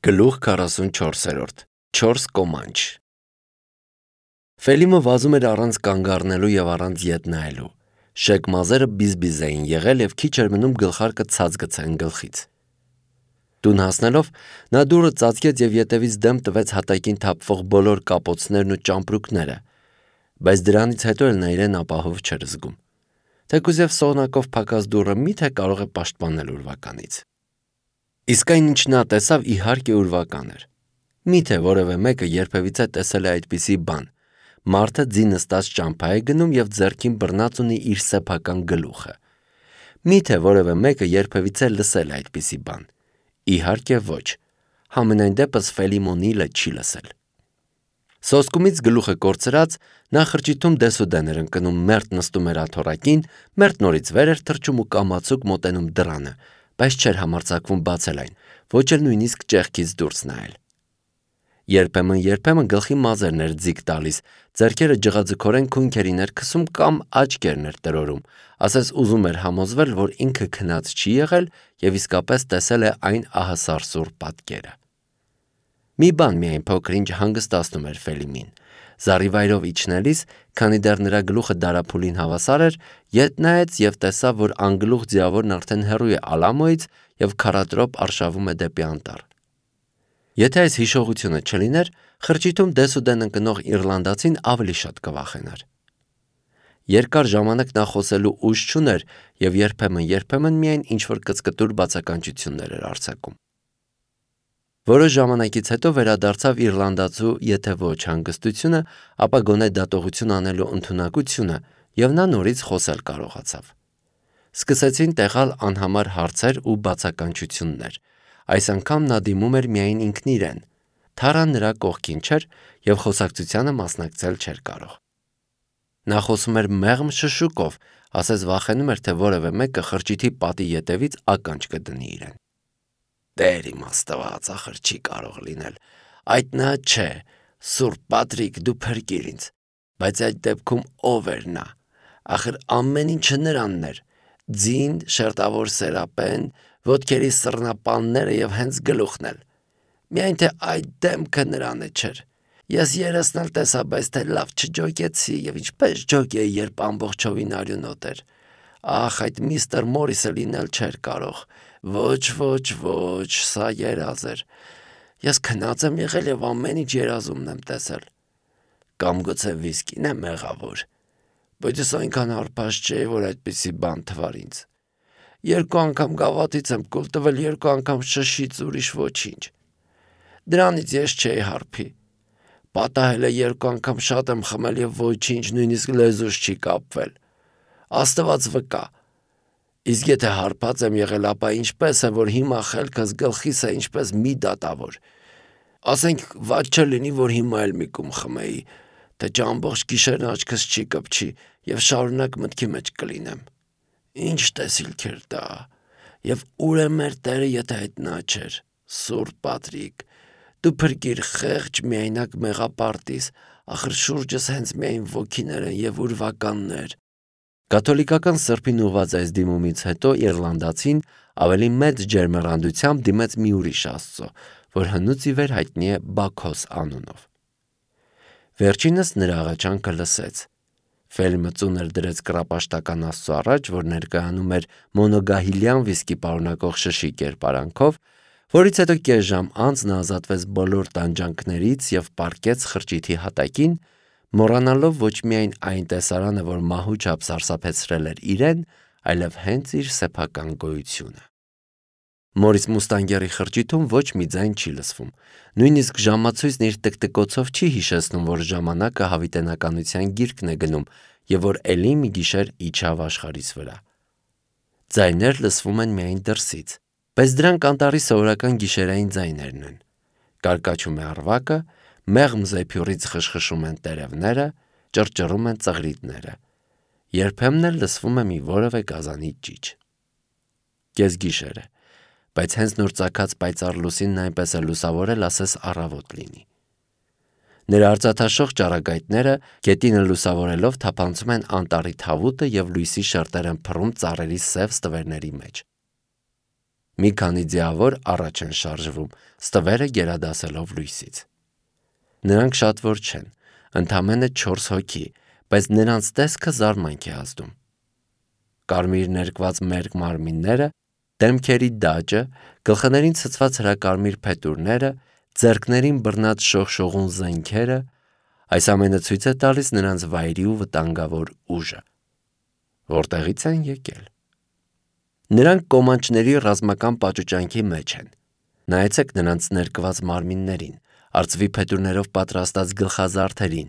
Գլուխ 44 4 կոմանչ Ֆելիմը վազում էր առանց կանգ առնելու և առանց ետ նայելու։ Շեկ մազերը բիզ-բիզ էին եղել և քիչ էր մնում գլխարկը ցած գցեն գլխից։ Տուն հասնելով նա դուռը ծածկեց և ետևից դեմ տվեց հատակին թափվող բոլոր կապոցներն ու ճամպրուկները, բայց դրանից հետո էլ նա իրեն ապահով չէր զգում։ Թեկուզ և սողնակով փակած դուռը մի՞թե կարող է պաշտպանել ուրվականից։ Իսկ այն, ինչ նա տեսավ, իհարկե ուրվական էր։ Մի՞թե որևէ մեկը երբևիցե տեսել է այդպիսի բան։ Մարդը ձի նստած ճամփա է գնում և ձեռքին բռնած ունի իր սեփական գլուխը։ Մի՞թե որևէ մեկը երբևիցե լսել է այդպիսի բան։ Իհարկե ոչ։ Համենայն դեպս Ֆելիմոնիլը չի լսել։ Սոսկումից գլուխը կորցրած, նա խրճիթում դեսուդեն էր ընկնում, մերթ նստում էր աթոռակին, մերթ նորից վեր էր թռչում ու կամացուկ մոտենում դռանը, բայց չէր համարձակվում բացել այն, ոչ էլ նույնիսկ ճեղքից դուրս նայել։ Երբեմն գլխի մազերն էր ձիգ տալիս, ձեռքերը ջղաձգորեն քունքերի ներքսում կամ աչքերն էր տրորում, ասես ուզում էր համոզվել, որ ինքը քնած չի եղել և իսկապես տեսել է այն ահասարսուռ պատկերը։ Մի բան միայն փոքր-ինչ հանգստացնում էր Ֆելիմին։ Զառիվայրով իջնելիս, քանի դեռ նրա գլուխը դարափուլին հավասար էր, ետ նայեց և տեսավ, որ անգլուխ ձիավորն արդեն հեռու է Ալամոյից և քառատրոպ արշավում է դեպի անտառ։ Եթե այս հիշողությունը չլիներ, խրճիթում դեսուդեն ընկնող իռլանդացին ավելի շատ կվախենար։ Երկար ժամանակ նա խոսելու ուժ չուներ և երբեմն միայն ինչ-որ կծկտուր բացականչություններ էր արձակում։ Որոշ ժամանակից հետո վերադարձավ իռլանդացու եթե ոչ հանգստությունը, ապա գոնե դատողություն անելու ընդունակությունը, և նա նորից խոսել կարողացավ։ Սկսեցին տեղալ անհամար հարցեր ու բացականչություններ։ Այս անգամ նա դիմում էր միայն ինքն իրեն։ Թարան նրա կողքին չէր և խոսակցությանը մասնակցել չէր կարող։ Նա խոսում էր մեղմ շշուկով, ասես վախենում էր, թե որևէ մեկը խրճիթի պատի ետևից ականջ կդնի իրեն։ Տեր իմ Աստված, ախր չի կարող լինել։ Այդ նա չէ, Սուրբ Պատրիկ, դու փրկիր ինձ։ Բայց այդ դեպքում ով էր նա։ Ախր ամեն ինչը նրանն էր։ Ձին, շերտավոր սերապեն, ոտքերի սռնապանները և հենց գլուխն էլ։ Միայն թե այդ դեմքը նրանը չէր։ Ես երեսն էլ տեսա, բայց թե լավ չջոկեցի և ինչպես ջոկեի, երբ ամբողջովին արյունոտ էր։ Ախ, այդ միստր Մորիսը լինել չէր կարող։ Ոչ, սա երազ էր։ Ես քնած եմ եղել և ամեն ինչ երազումն եմ տեսել։ Կամ գուցե վիսկին է մեղավոր։ Բայց ես այնքան հարբած չէի, որ այդպիսի բան թվար ինձ։ 2 անգամ գավաթից եմ կուլ տվել, 2 անգամ շշից, ուրիշ ոչինչ։ Դրանից ես չէի հարբի։ Պատահել է 2 անգամ շատ եմ խմել և ոչինչ, նույնիսկ լեզուս չի կապվել։ Աստված վկա։ Իսկ եթե հարբած եմ եղել, ապա ինչպես է, որ հիմա խելքս գլխիս է ինչպես մի դատավոր։ Ասենք վատ չլինի, որ հիմա էլ մի կում խմեի, թե չամբողջ գիշերն աչքս չի կպչի և շարունակ մտքի մեջ կլինեմ։ Ինչ տեսիլք էր դա։ Եվ ուր է մեր Տերը, եթե այդ նա չէր։ Սուրբ Պատրիկ, դու փրկիր խեղճ միայնակ մեղապարտիս, ախր շուրջս հենց միայն ոգիներ են և ուրվականներ։ Կաթոլիկական սրբին ուղված այս դիմումից հետո իռլանդացին ավելի մեծ ջերմեռանդությամբ դիմեց մի ուրիշ աստծո, որ հնուց ի վեր հայտնի է Բաքոս անունով։ Վերջինս նրա աղաչանքը լսեց։ Ֆելիմը ծունր դրեց կռապաշտական աստծո առաջ, որ ներկայանում էր մոնոգահիլյան վիսկի պարունակող շշի կերպարանքով, որից հետո կես ժամ անց նա ազատվեց բոլոր տանջանքներից և պառկեց խրճիթի հատակին, մոռանալով ոչ միայն այն տեսարանը, որ մահու չափ սարսափեցրել էր իրեն, այլև հենց իր սեփական գոյությունը։ Մորիս Մուստանգերի խրճիթում ոչ մի ձայն չի լսվում, նույնիսկ ժամացույցն իր տկտկոցով չի հիշեցնում, որ ժամանակը հավիտենականության գիրկն է գնում և որ էլի մի գիշեր իջավ աշխարհիս վրա։ Ձայներ լսվում են միայն դրսից, բայց դրանք անտառի սովորական գիշերային ձայներն են։ Կարկաչում է առվակը, մեղմ զեփյուռից խշխշում են տերևները, ճռճռում են ծղրիդները։ Երբեմն էլ լսվում է մի որևէ գազանի ճիչ։ Կեսգիշեր է, բայց հենց նոր ծագած պայծառ լուսինն այնպես է լուսավորել, ասես առավոտ լինի։ Նրա արծաթաշող ճառագայթները գետինը լուսավորելով թափանցում են անտառի թավուտը և լույսի շերտեր են փռում ծառերի սև ստվերների մեջ։ Մի քանի ձիավոր առաջ են շարժվում, ստվերը գերադասելով լույսից։ Նրանք շատ որ չեն, ընդամենը 4 հոգի, բայց նրանց տեսքը զարմանք է ազդում։ Կարմիր ներկված մերկ մարմինները, դեմքերի դաջը, գլխներին ցցված հրակարմիր փետուրները, ձեռքներին բռնած շողշողուն զենքերը, այս ամենը ցույց է տալիս նրանց վայրի ու վտանգավոր ուժը։ Որտեղից են եկել։ Նրանք կոմանչների ռազմական պաճուճանքի մեջ են։ Նայեցեք նրանց ներկված մարմիններին, արծվի փետուրներով պատրաստած գլխազարդերին,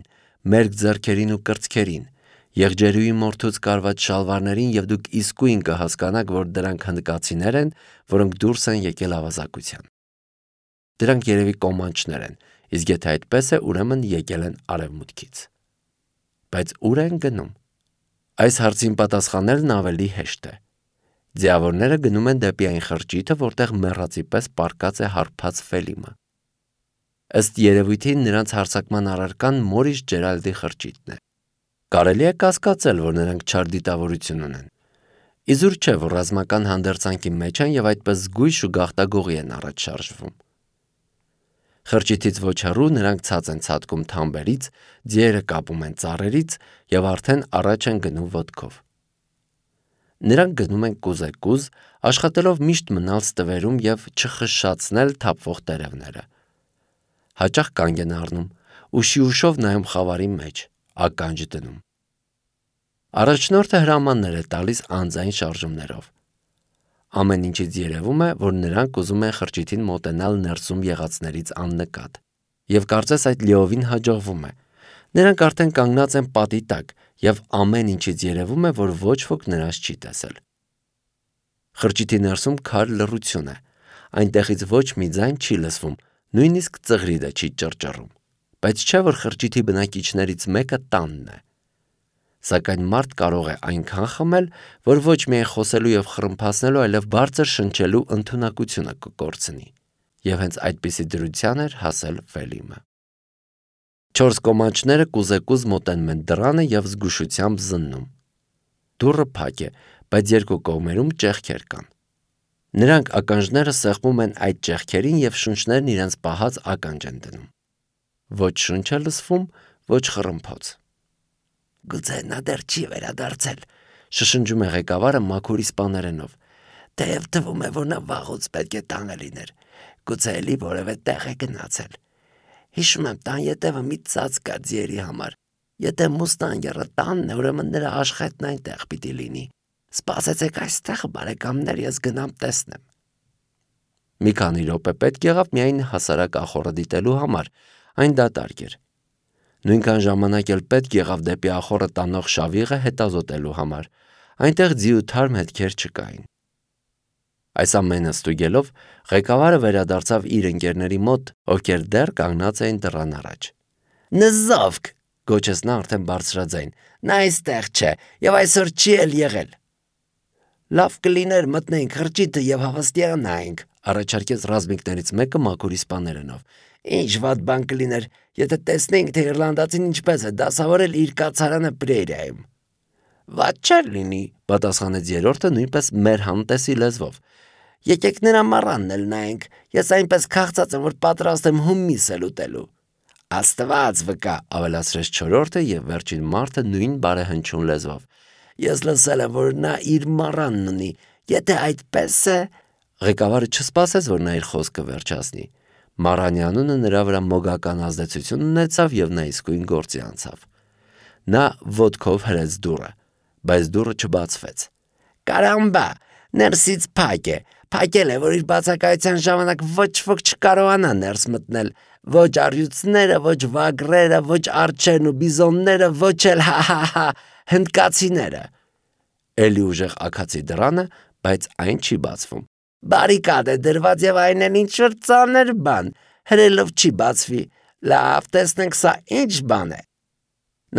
մերկ ձեռքերին ու կրծքերին, եղջերուի մորթուց կարված շալվարներին և դուք իսկույն կհասկանաք, որ դրանք հնդկացիներ են, որոնք դուրս են եկել ավազակության։ Դրանք երևի կոմանչներ են, իսկ եթե այդպես է, ուրեմն եկել են արևմուտքից։ Բայց ուր են գնում։ Այս հարցին պատասխանելն ավելի հեշտ է։ Ձիավորները գնում են դեպի այն խրճիթը, որտեղ մեռածի պես պառկած է հարբած Ֆելիմը։ Ըստ երևույթին նրանց հարձակման առարկան Մորիս Ջերալդի խրճիթն է։ Կարելի է կասկածել, որ նրանք չար դիտավորություն ունեն։ Իզուր չէ, որ ռազմական հանդերձանքի մեջ են և այդպես զգույշ ու գաղտագողի են առաջ շարժվում։ Խրճիթից ոչ հեռու նրանք ցած են ցատկում թամբերից, ձիերը կապում են ծառերից և արդեն առաջ են գնում ոտքով։ Նրանք գնում են կուզեկուզ, աշխատելով միշտ մնալ ստվերում և չխշշացնել թափվող տերևները։ Հաճախ կանգ են առնում ու շիուշով նայում խավարի մեջ, ականջ դնում։ Առաջնորդը հրամաններ է տալիս անձայն շարժումներով։ Ամեն ինչից երևում է, որ նրանք ուզում են խրճիթին մոտենալ ներսում եղածներից աննկատ։ Եվ կարծես այդ լիովին հաջողվում է։ Նրանք արդեն կանգնած են պատի տակ և ամեն ինչից երևում է, որ ոչ ոք նրանց չի տեսել։ Խրճիթի ներսում քար լռություն է։ Այնտեղից ոչ մի ձայն չի լսվում, նույնիսկ ծղրիդը չի ճռճռում։ Բայց չէ, որ խրճիթի բնակիչներից մեկը տանն է։ Սակայն մարդ կարող է այնքան խմել, որ ոչ միայն խոսելու և խռմփացնելու, այլև բարձր շնչելու ընդունակությունը կկորցնի։ Եվ հենց այդպիսի դրության էր հասել Ֆելիմը։ 4 կոմանչները կուզեկուզ մոտենում են դռանը և զգուշությամբ զննում։ Դուռը փակ է, բայց երկու կողմերում ճեղքեր կան։ Նրանք ականջները սեղմում են այդ ճեղքերին և շունչներն իրենց պահած ականջ են դնում։ Ոչ շունչ է լսվում, ոչ խռմփոց։ Գուցե նա դեռ չի վերադարձել, շշնջում է ղեկավարը մաքուր իսպաներենով։ Թեև թվում է, որ նա վաղուց պետք է տանը լիներ։ Գուցե էլի որևէ տեղ է գնացել։ Հիշում եմ, տան ետևը մի ծած կա ձիերի համար։ Եթե մուստանգերը տանն է, ուրեմն նրա աշխայթն այնտեղ պիտի լինի։ Սպասեցեք այստեղ, բարեկամներ, ես գնամ տեսնեմ։ Մի քանի րոպե պետք եղավ միայն հասարակ ախոռը դիտելու համար, այն դատարկ էր։ Նույնքան ժամանակ էլ պետք եղավ դեպի ախոռը տանող շավիղը հետազոտելու համար, այնտեղ ձի ու թարմ հետքեր չկային։ Այս ամենը ստուգելով, ղեկավարը վերադարձավ իր ընկերների մոտ, ովքեր դեռ կանգնած էին դռան առաջ։ Նզովք, գոչեց նա արդեն բարձրաձայն, նա այստեղ չէ և այսօր չի էլ եղել։ Լավ կլիներ մտնենք խրճիթը և հավաստիանայինք, առաջարկեց ռազմիկներից մեկը մաքուր իսպաներենով։ Ինչ վատ բան կլիներ, եթե տեսնեինք, թե իռլանդացին ինչպես է դասավորել իր կացարանը Պրերիայում։ Վատ չէր լինի, պատասխանեց երրորդը նույնպես մեր համտեսի լեզվով։ Եկեք նրա մառանն էլ նայենք, ես այնպես քաղցած եմ, որ պատրաստ եմ հումիս էլ ուտելու։ Աստված վկա, ավելացրեց չորրորդը և վերջին մարդը նույն բարեհնչյուն լեզվով։ Ես լսել եմ, որ նա իր մառանն ունի, եթե այդպես է… Ղեկավարը չսպասեց, որ նա իր խոսքը վերջացնի։ Մառանի անունը նրա վրա մոգական ազդեցություն ունեցավ և նա իսկույն գործի անցավ։ Նա ոտքով հրեց դուռը, բայց դուռը չբացվեց։ Կարամբա, ներսից փակ է, փակել է, որ իր բացակայության ժամանակ ոչ ոք չկարողանա ներս մտնել, ոչ առյուծները, ոչ վագրերը, ոչ արջերն ու բիզոնները, ոչ էլ հնդկացիները։ Էլի ուժեղ աքացի դռանը, բայց այն չի բացվում։ Բարիկադ է դրված և այն էլ ինչ-որ ծանր բան, հրելով չի բացվի։ Լավ, տեսնենք սա ինչ բան է։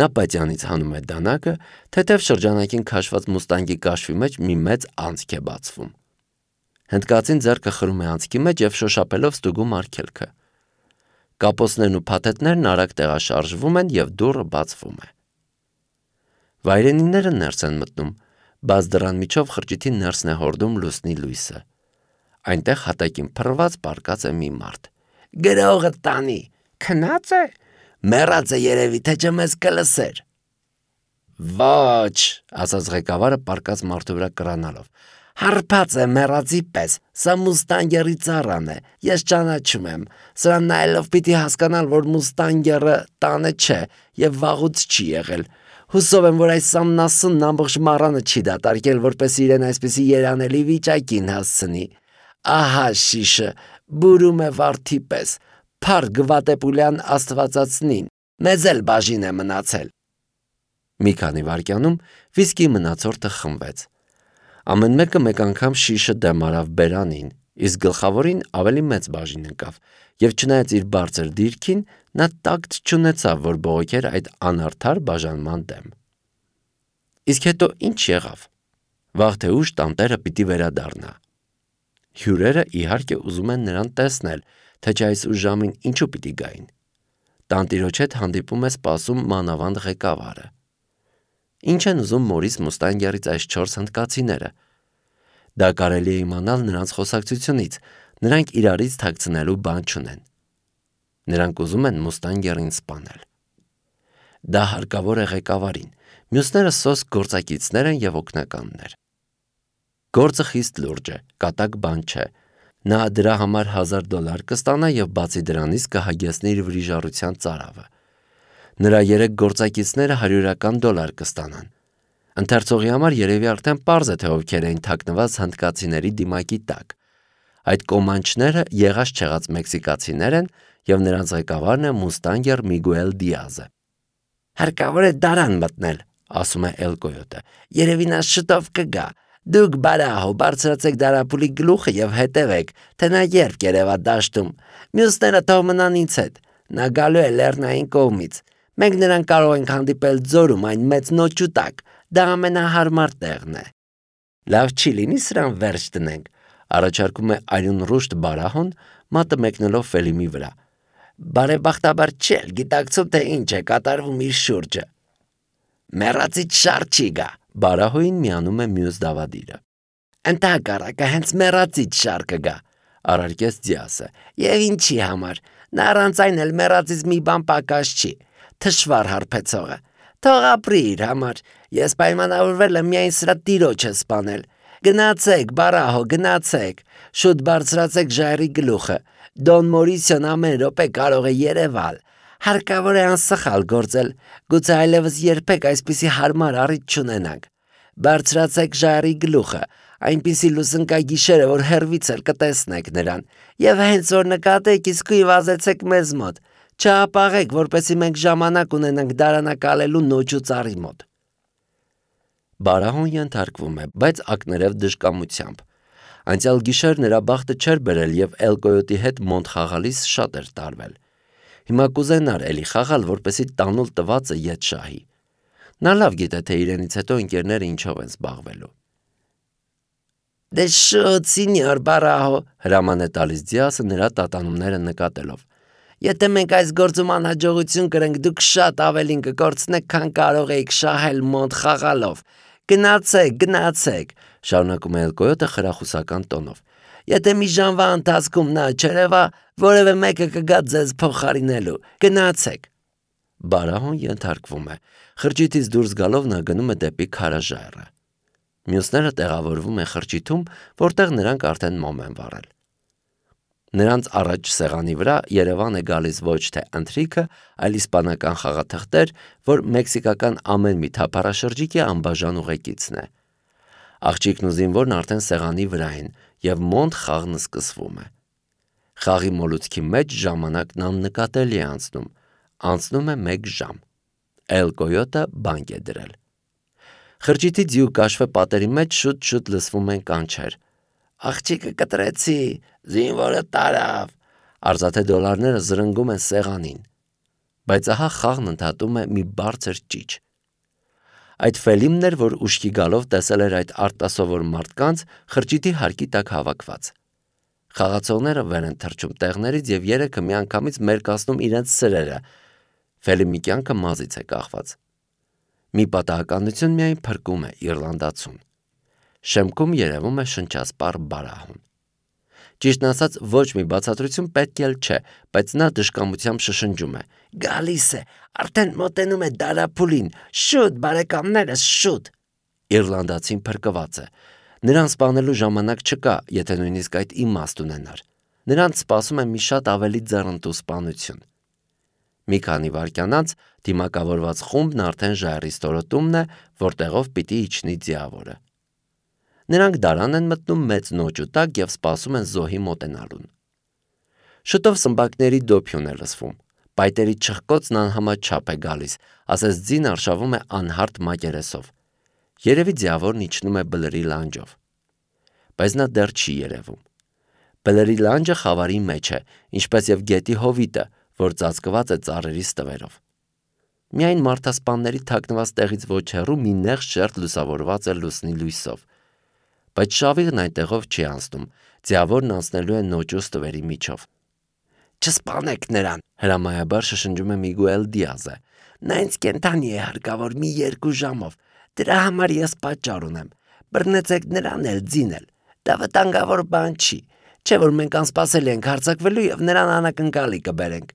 Նա պատյանից հանում է դանակը, թեթև շրջանակին քաշված մուստանգի կաշվի մեջ մի մեծ անցք է բացվում։ Հնդկացին ձեռքը խրում է անցքի մեջ և շոշափելով ստուգում արգելքը։ Կապոցներն ու փաթեթներն արագ տեղաշարժվում են և դուռը բացվում է։ Վայրենիները ներս են մտնում, բաց դռան միջով խրճիթի ներսն է հորդում լուսնի լույսը։ Այնտեղ հատակին փռված պառկած է մի մարդ։ «Գրողը տանի, քնած է, մեռած է երևի, թե չէ մեզ կլսեր»։ «Ոչ», ասաց ղեկավարը պառկած մարդու վրա կռանալով, «հարբած է մեռածի պես, սա Մուստանգերի ծառան է, ես ճանաչում եմ, սրան նայելով պիտի հասկանալ, որ Մուստանգերը տանը չէ և վաղուց չի եղել։ Հուսով եմ, որ այս ամնասունն ամբողջ մառանը չի դատարկել, որպես իրեն այսպիսի երանելի վիճակին հասցնի։ Ահա շիշը, բուրում է վարդի պես, փառ Գվատեպուլյան աստվածածնին, մեզ էլ բաժին է մնացել»։ Մի քանի վայրկյանում վիսկի մնացորդը խմվեց։ Ամեն մեկը մեկ անգամ շիշը դեմ արավ բերանին, իսկ գլխավորին ավելի մեծ բաժին ընկավ, և չնայած իր բարձր դիրքին, նա տակտ չունեցավ, որ բողոքեր այդ անարդար բաժանման դեմ։ Իսկ հետո ինչ եղավ։ Վաղ թե ուշ տանտերը պիտի վերադառնա։ Հյուրերը իհարկե ուզում են նրան տեսնել, թե չէ այս ուշ ժամին ինչու պիտի գային։ Տանտիրոջ հետ հանդիպում է սպասում մանավանդ ղեկավարը։ Ինչ են ուզում Մորիս Մուստանգերից այս 4 հնդկացիները։ Դա կարելի է իմանալ նրանց խոսակցությունից, նրանք իրարից թաքցնելու բան չունեն։ Նրանք ուզում են Մուստանգերին սպանել։ Դա հարկավոր է ղեկավարին, մյուսները սոսկ գործակիցներ են և օգնականներ։ Գործը խիստ լուրջ է, կատակ բան չէ։ Նա դրա համար $1000 կստանա և բացի դրանից կհագեցնի իր վրիժառության ծարավը։ Նրա 3 գործակիցները $100 կստանան։ Ընթերցողի համար երևի արդեն պարզ է, թե ովքեր էին թաքնված հնդկացիների դիմակի տակ։ Այդ կոմանչները եղած-չեղած մեքսիկացիներ են և նրանց ղեկավարն է Մուստանգեր Միգուել Դիազը։ «Հարկավոր է դարան մտնել», ասում է Էլ Կոյոտը, «երևի նա շուտով կգա։ Դուք բարահո բարձրացեք դարափուլի գլուխը և հետևեք, թե նա երբ կերևա դաշտում։ Մյուսները թող մնան ինձ հետ։ Նա գալու է լեռնային կողմից։ Մենք նրան կարող ենք հանդիպել ձորում այն մեծ նոճու տակ, դա ամենահարմար տեղն է»։ «Լավ չի լինի սրան վերջ դնենք», առաջարկում է արյունռուշտ Բարահոն, մատը մեկնելով Ֆելիմի վրա։ «Բարեբախտաբար չի էլ գիտակցում, թե ինչ է կատարվում իր շուրջը»։ «Մեռածից շառ չի գա», Բարահոյին միանում է մյուս դավադիրը։ «Ընդհակառակը հենց մեռածից շառ կգա», առարկեց Դիասը։ «Եվ ինչի համար, նա առանց այն էլ մեռածից մի բան պակաս չի, թշվառ հարբեցողը։ Թող ապրի իր համար, ես պայմանավորվել եմ միայն սրա տիրոջը սպանել։ Գնացեք, Բարահո, գնացեք, շուտ բարձրացեք ժայռի գլուխը, Դոն Մորիսիոն ամեն րոպե կարող է երևալ։ Հարկավոր է անսխալ գործել, գուցե այլևս երբեք այսպիսի հարմար առիթ չունենանք։ Բարձրացեք ժայռի գլուխը, այնպիսի լուսնկագիշերը, որ հեռվից էլ կտեսնեք նրան, և հենց որ նկատեք, իսկույն վազեցեք մեզ մոտ։ Չհապաղեք, որպեսզի մենք ժամանակ ունենանք դարանակալելու նոճու ծառի մոտ»։ Բարահոն ենթարկվում է, բայց ակներև դժկամությամբ։ Անցյալ գիշեր նրա բախտը չէր բերել և Էլ Կոյոտի հետ մոնտ խաղալիս շատ էր տարվել։ Հիմա կուզենար էլի խաղալ, որպեսզի տանուլ տվածը ետ շահի։ Նա լավ գիտե, թե իրենից հետո ընկերները ինչով են զբաղվելու։ «Դե շուտ, սինյոր Բարահո», հրաման է տալիս Դիասը նրա տատանումները նկատելով։ «Եթե մենք այս գործում անհաջողություն կրենք, դուք շատ ավելին կկորցնեք, քան կարող էիք շահել մոնտ խաղալով։ Գնացեք, գնացեք», շարունակում է Էլ Կոյոտը խրախուսական տոնով։ «Եթե մի ժամվա ընթացքում նա չերևա, որևէ մեկը կգա ձեզ փոխարինելու։ Գնացեք»։ Բարահոն ենթարկվում է։ Խրճիթից դուրս գալով նա գնում է դեպի քարաժայռը։ Մյուսները տեղավորվում են խրճիթում, որտեղ նրանք արդեն մոմ են վառել։ Նրանց առաջ սեղանի վրա Երևան է գալիս ոչ թե ընթրիքը, այլ իսպանական խաղաթղթեր, որ մեքսիկական ամեն մի թափառաշրջիկի անբաժան ուղեկիցն է։ Աղջիկն ու զինվորն արդեն սեղանի վրա են, և մոնտ խաղն սկսվում է։ Խաղի մոլուցքի մեջ ժամանակն աննկատելի է անցնում է 1 ժամ։ Էլ Կոյոտը բանկ է դրել։ Խրճիթի ձիու կաշվե պատերի մեջ շուտ-շուտ լսվում են կանչեր։ «Աղջիկը կտրեցի, զինվորը տարավ», արծաթե դոլարները զրնգում են սեղանին։ Բայց ահա խաղն ընդհատում է մի բարձր ճիչ։ Այդ Ֆելիմն էր, որ ուշքի գալով տեսել էր այդ արտասովոր մարդկանց խրճիթի հարկի տակ հավաքված։ Խաղացողները վեր են թռչում տեղներից և երեքը միանգամից մերկացնում իրենց սրերը։ Ֆելիմի կյանքը մազից է կախված։ Մի պատահականություն միայն փրկում է իռլանդացուն։ Շեմքում երևում է շնչասպառ Բարահոն։ Ճիշտն ասած, ոչ մի բացատրություն պետք էլ չէ, բայց նա դժկամությամբ շշնջում է. «Գալիս է, արդեն մոտենում է դարափուլին, շուտ բարեկամներս, շուտ»։ Իռլանդացին փրկված է։ Նրան սպանելու ժամանակ չկա, եթե նույնիսկ այդ իմաստ ունենար։ Նրանց սպասում է մի շատ ավելի ձեռնտու սպանություն։ Մի քանի վայրկյան անց դիմակավորված խումբն արդեն ժայռի ստորոտումն է, որտեղով պիտի իջնի ձիավորը։ Նրանք դարան են մտնում մեծ նոճու տակ և սպասում են զոհի մոտենալուն։ Շուտով սմբակների դոփյուն է լսվում։ Պայտերի չխկոցն անհամաչափ է գալիս, ասես ձին արշավում է անհարթ մակերեսով։ Երևի ձիավորն իջնում է բլրի լանջով։ Բայց նա դեռ չի երևում։ Բլրի լանջը խավարի մեջ է, ինչպես և գետի հովիտը, որ ծածկված է ծառերի ստվերով։ Միայն մարդասպանների թաքնված տեղից ոչ հեռու մի նեղ շերտ լուսավորված է լուսնի լույսով։ Բայց շավիղն այնտեղով չի անցնում, ձիավորն անցնելու է նոճու ստվերի միջով։ «Չսպանեք նրան», հրամայաբար շշնջում է Միգուել Դիազը։ «Նա ինձ կենդանի է հարկավոր մի 2 ժամով, դրա համար ես պատճառ ունեմ, բռնեցեք նրան էլ ձին էլ, դա վտանգավոր բան չի, չէ՞ որ մենք անսպասելի ենք հարձակվելու և նրան անակնկալի կբերենք,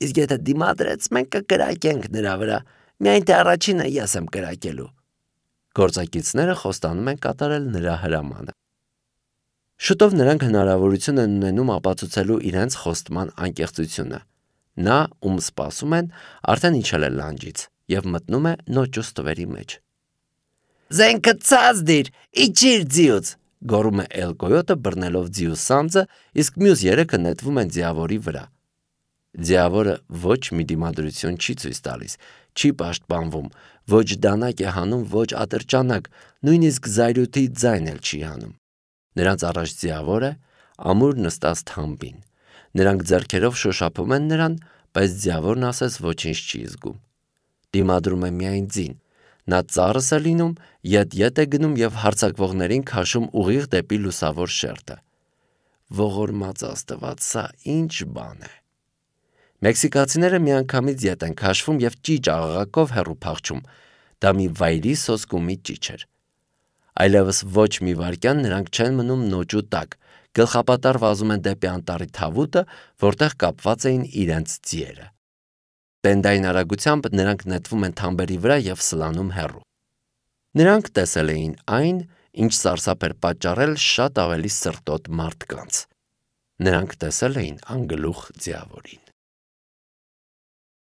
իսկ եթե դիմադրեց, մենք կկրակենք նրա վրա, միայն թե առաջինը ես եմ կրակելու»։ Գործակիցները խոստանում են կատարել նրա հրամանը։ Շուտով նրանք հնարավորություն են ունենում ապացուցելու իրենց խոստման անկեղծությունը։ Նա, ում սպասում են, արդեն իջել է լանջից և մտնում է նոճու ստվերի մեջ։ «Զենքը ցած դիր, իջիր ձիուց», գոռում է Էլ Կոյոտը բռնելով ձիու սանձը, իսկ մյուս 3-ը նետվում են ձիավորի վրա։ Ձիավորը ոչ մի դիմադրություն չի ցույց տալիս, չի պաշտպանվում, ոչ դանակ է հանում, ոչ ատրճանակ, նույնիսկ զայրույթի ձայն էլ չի հանում։ Նրանց առաջ ձիավոր է, ամուր նստած թամբին։ Նրանք ձեռքերով շոշափում են նրան, բայց ձիավորն ասես ոչինչ չի զգում։ Դիմադրում է միայն ձին։ Նա ծառս է լինում, ետ է գնում և հարձակվողներին քաշում ուղիղ դեպի լուսավոր շերտը։ Ողորմած Աստված, սա ինչ բան է։ Մեքսիկացիները միանգամից ետ են քաշվում և ճիճ աղաղակով հեռու փախչում։ Դա մի վայրի սոսկումի ճիչ էր։ Այլևս ոչ մի վայրկյան նրանք չեն մնում նոճու տակ, գլխապատառ վազում են դեպի անտառի թավուտը, որտեղ կապված էին իրենց ձիերը։ Տենդային արագությամբ նրանք նետվում են թամբերի վրա և սլանում հեռու։ Նրանք տեսել էին այն, ինչ սարսափ էր պատճառել շատ ավելի սրտոտ մարդկանց։ Նրանք տեսել էին անգլուխ ձիավորին։